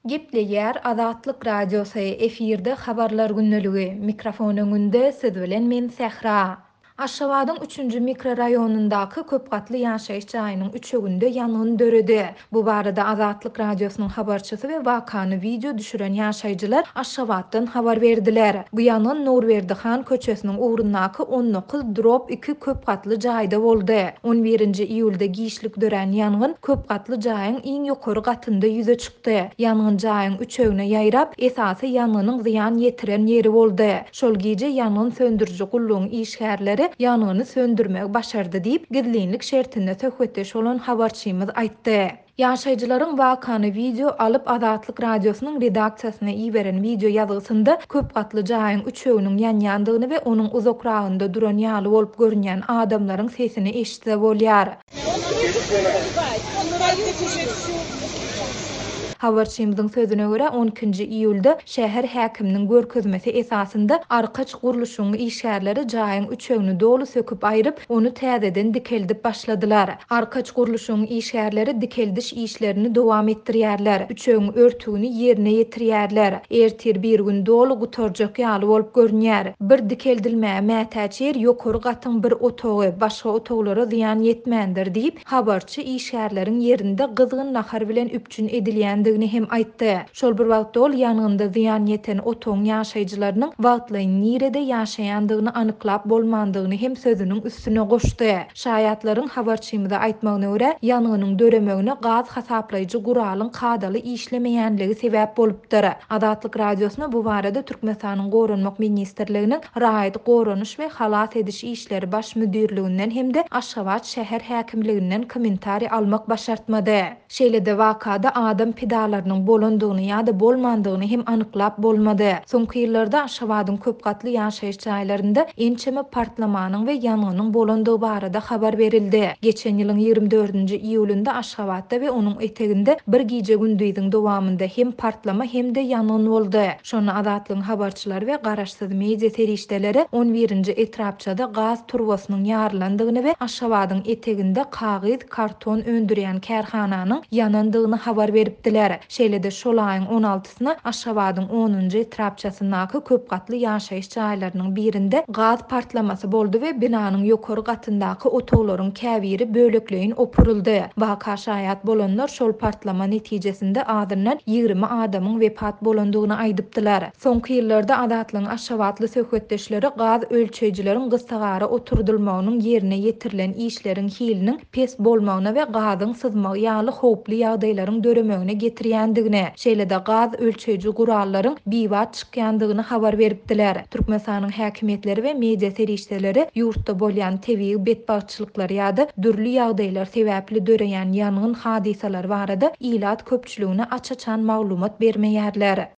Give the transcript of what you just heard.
Gepleýär Azatlyk Radiosy, efirde Habarlar gündeligi, mikrofon öňünde siz bilen men Sähra. Aşgabadyň üçünji mikroraýonyndaky köp gatly ýaşaýyş jaýynyň üçeginde ýangyn döredi. Bu barada Azatlyk Radiosynyň habarçysy we wakany wideo düşüren ýaşaýjylar Aşgabatdan habar berdiler. Bu ýangyn Nurberdi han köçesiniň ugrundaky 19 drob iki köp gatly jaýda boldy. On birinji iýulda giçlik dörän ýangyn köp gatly jaýyň iň ýokary gatynda ýüze çykdy. Ýangyn jaýyň üçegine ýaýrap, esasy ýangynyň zyýan ýetiren ýeri boldy. Şol gije ýangyn söndüriji gullugyň işgärleri ýangyny söndürmegi başardy diýip, gizlinlik şertinde söhbetdeş bolan habarçymyz aýtdy. Ýaşaýjylaryň wakany wideo alyp Azatlyk Radiosynyň redaksiýasyna iberen wideo ýazgysynda köp gatly jaýyň üçeginiň ýanýandygyny we onuň uzakragynda duran ýaly bolup görünýän adamlaryň sesini eşitse bolýar. Habarçymyzyň sözüne görä, on ikinji iýulda şäher häkiminiň görkezmesi esasynda Arkaç gurluşygyň işgärleri jaýyň üçegini doly söküp aýryp, ony täzeden dikeldip başladylar. Arkaç gurluşygyň işgärleri dikeldiş işlerini dowam etdirýärler, üçegiň örtügini ýerine ýetirýärler. Ertir-birigün doly gutarjak ýaly bolup görünýär. Bir dikeldilmäge mätäç ýer ýokary gatyň bir otagy, başga otaglara zyýan ýetmändir diýip, habarçy işgärleriň ýerinde gyzgyn nahar bilen üpjün edilýändigini hem aýtdy. Şol bir wagtda ol ýangynda zyýan ýeten otagyň ýaşaýjylarynyň wagtlaýyn nirede ýaşaýandygyny anyklap bolmandygyny hem sözüniň üstüne goşdy. Şaýatlaryň habarçymyza aýtmagyna görä, ýangynyň döremegine gaz hasaplaýjy guralyň kadaly işlemeýänligi sebäp bolupdyr. Azatlyk Radiosyna bu barada Türkmenistanyň Goranmak ministrliginiň Raýat goranyş we halas ediş işleri baş müdirliginden hem-de Aşgabat şäher häkimliginden kommentariý almak başartmady. Şeýle-de wakada adam pidalarynyň bolandygyny ýa-da bolmandygyny hem anyklap bolmady. Soňky ýyllarda Aşgabadyň köp gatly ýaşaýyş jaýlarynda ençeme partlamanyň we ýangynyň bolandygy barada habar berildi. Geçen ýylyň 24-nji iýulynda Aşgabatda we onuň eteginde bir gije-gündiziň dowamynda hem partlama hem-de ýangyn boldy. Şonda Azatlygyň habarçylary we garaşsyz media serişdeleri on birinji etrapçada gaz turbasynyň ýarylandygyny we Aşgabadyň eteginde kagyz, karton öndürýän kärhananyň ýanandygyny habar beripdiler. Şeýle-de şol aýyň on altysyna Aşgabadyň onunjy etrapçasyndaky köp gatly ýaşaýyş jaýlarynyň birinde gaz partlamasy boldy we binanyň ýokary gatyndaky otaglaryň käbiri bölekleýin opuryldy. Waka şaýat bolanlar şol partlama netijesinde azyndan 20 adamyň wepat bolandygyny aýdypdylar. Soňky ýyllarda Azatlygyň aşgabatly söhbetdeşleri gaz ölçeýjileriň gyssagara oturdylmagynyň ýerine ýetirilen işleriň hiliniň pes bolmagyna we gazyň syzmagy ýaly howply ýagdaýlaryň döremegine getirýändigini, şeýle-de gaz ölçeýji gurallaryň bibat çykýandygyny habar beripdiler. Türkmenistanyň häkimiýetleri we media serişdeleri ýurtda bolýan tebigy betbagtçylyklar ýa-da dürli ýagdaýlar sebäpli döreýän ýangyn hadysalary barada ilat köpçüligine aç-açan maglumat bermeýärler.